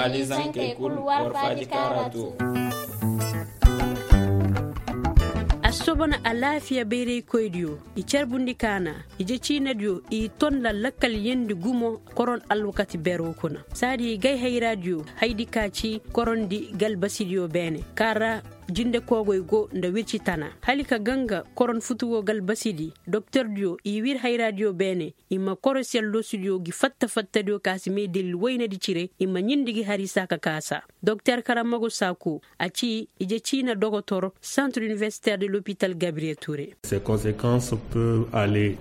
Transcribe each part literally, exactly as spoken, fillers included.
Alizankey kul war faaji kaara too. Assobona alaafiya bayraykoydiyo i carbundi kaana ije ciinadiyo i ton nda lakkal yendi gumo koron alwakati beeroo kuna saadi gay hayraadiyo haydi ka ci korondi galbasidiyo beene ka ra jinde koogoy go nda wirci tana hali ka ganga koron futuwoo galbasidi doktordiyo i wir hayraadiyo beene i ma korosiyal loosidiyo gi fatta fattadiyo ka si may dalil woynadi cire i ma ɲindi gi hari saa ka kaasa doktor karamago saako a ci ije ciina dogotor centre universitaire de l'hôpital gabriel ture.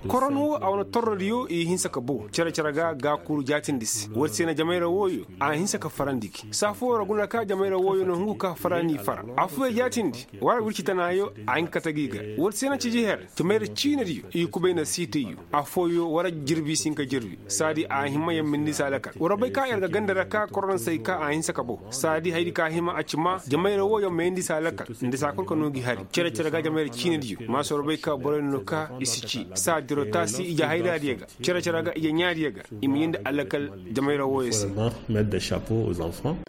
Koronu a wane torrodiyo i hinsa ka bow cere-cere ga gaakuru jaatindi se woodi se na jamayra wooyo a hinsa ka farandi gi saa fooyo ra guna ka jamayra wooyo na hungu ka farani fara affooyo jaatindi wara wirci tanayo a hin ka kate gi ga woodi se na ciji her jamayra ciinadiyo i kubay na siitayyo affooyo wara jirbi si hin ka jirbi saadi a hima yammindi se alakal war bay ka yer ga ganda ra ka korona say ka a hinsa ka bow saadi haydi ka hima a ci ma jamayra wooyo mayandi se alakal nda saa kul ka noo gi hari cere-cere ga jamayra ciinadiyo ma si war bay ka boroy no ka i si ci saa diro taasi ije hayraadiyo ga cere-cere ga ije ɲaadiyo ga i ma yindi alakal jamayra wooyo se.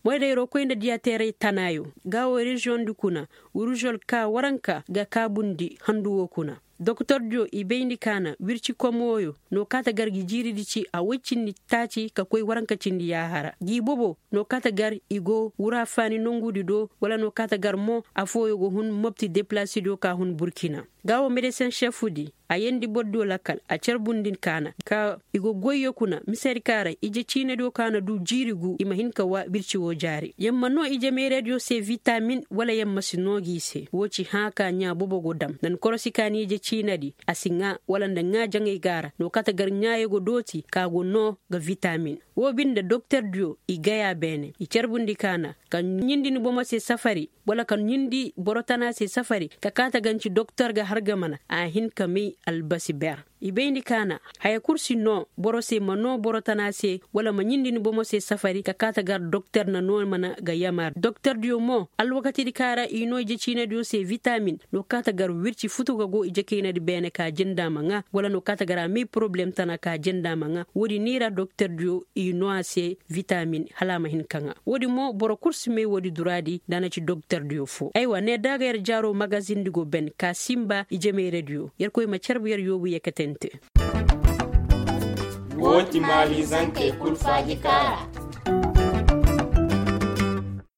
Moydayroo koy nda diyateeray tanaayo gaawo reziyoŋ di kuna uruzol ka waranka ga kaabundi handu woo kuna doktordiyo i bayndi kaana wirci kom wooyo no kaata gar gi jiiridi ci a woy cindi taaci ka koy waranka cindi yaahara gi bobo no kaata gar i go wuraafaani nongudi do wala no kaata gar mo affooyo go hun mopti depilasidiyo ka hun burkina gaawo medesin šefudi a yeendi bordiyo lakkal a carbundi kaana ka i go goyyo kuna misedi ka ra ije ciinadiyo ka na du jiiri gu i ma hin ka wa birci woo jaari yer ma noo ije meerediyo se vitamin wala yer ma si noo gi i se woo ci hãa ka ɲaa bobo go dam nda ni korosi ka ni ije ciinadi a si ŋaa wala nda ŋaa jaŋay ga a ra no kaata gar ɲaayo go dooti ka go noo ga vitamin woo binde doktordiyo i gaya beene i carbundi kaana ka ɲindi ni bomo se safari wala ka ɲindi boro tana se safari ka kaata ganci doktor ga har ga mana a hin ka may albasi ber i bayndi kaana haya kul si noo boro se ma noo boro tana se wala ma ɲindi ni bomo se safari ka kaata gar doktor na noo mana ga yamar doktordiyo mo alwakatidi ka ra i noo ije ciinadiyo se vitamin no kaata gar wirci futu ga go ije kaynadi beene ka jinda ma ŋaa wala no kaata gar a may poroblem tana ka jinda ma ŋaa woodi ni ra doktordiyo i noo a se vitamin hala a ma hin ka ŋaa woodi mo boro kul si may woodi duraadi nda a na ci doktordiyo foo aywa ne da ga yer jaaroo magazindi go ben ka sinba ije mayradiyo yerkoy ma carbu yer yoobu yeketente. Woo ti maali zankey kul faaji kaara.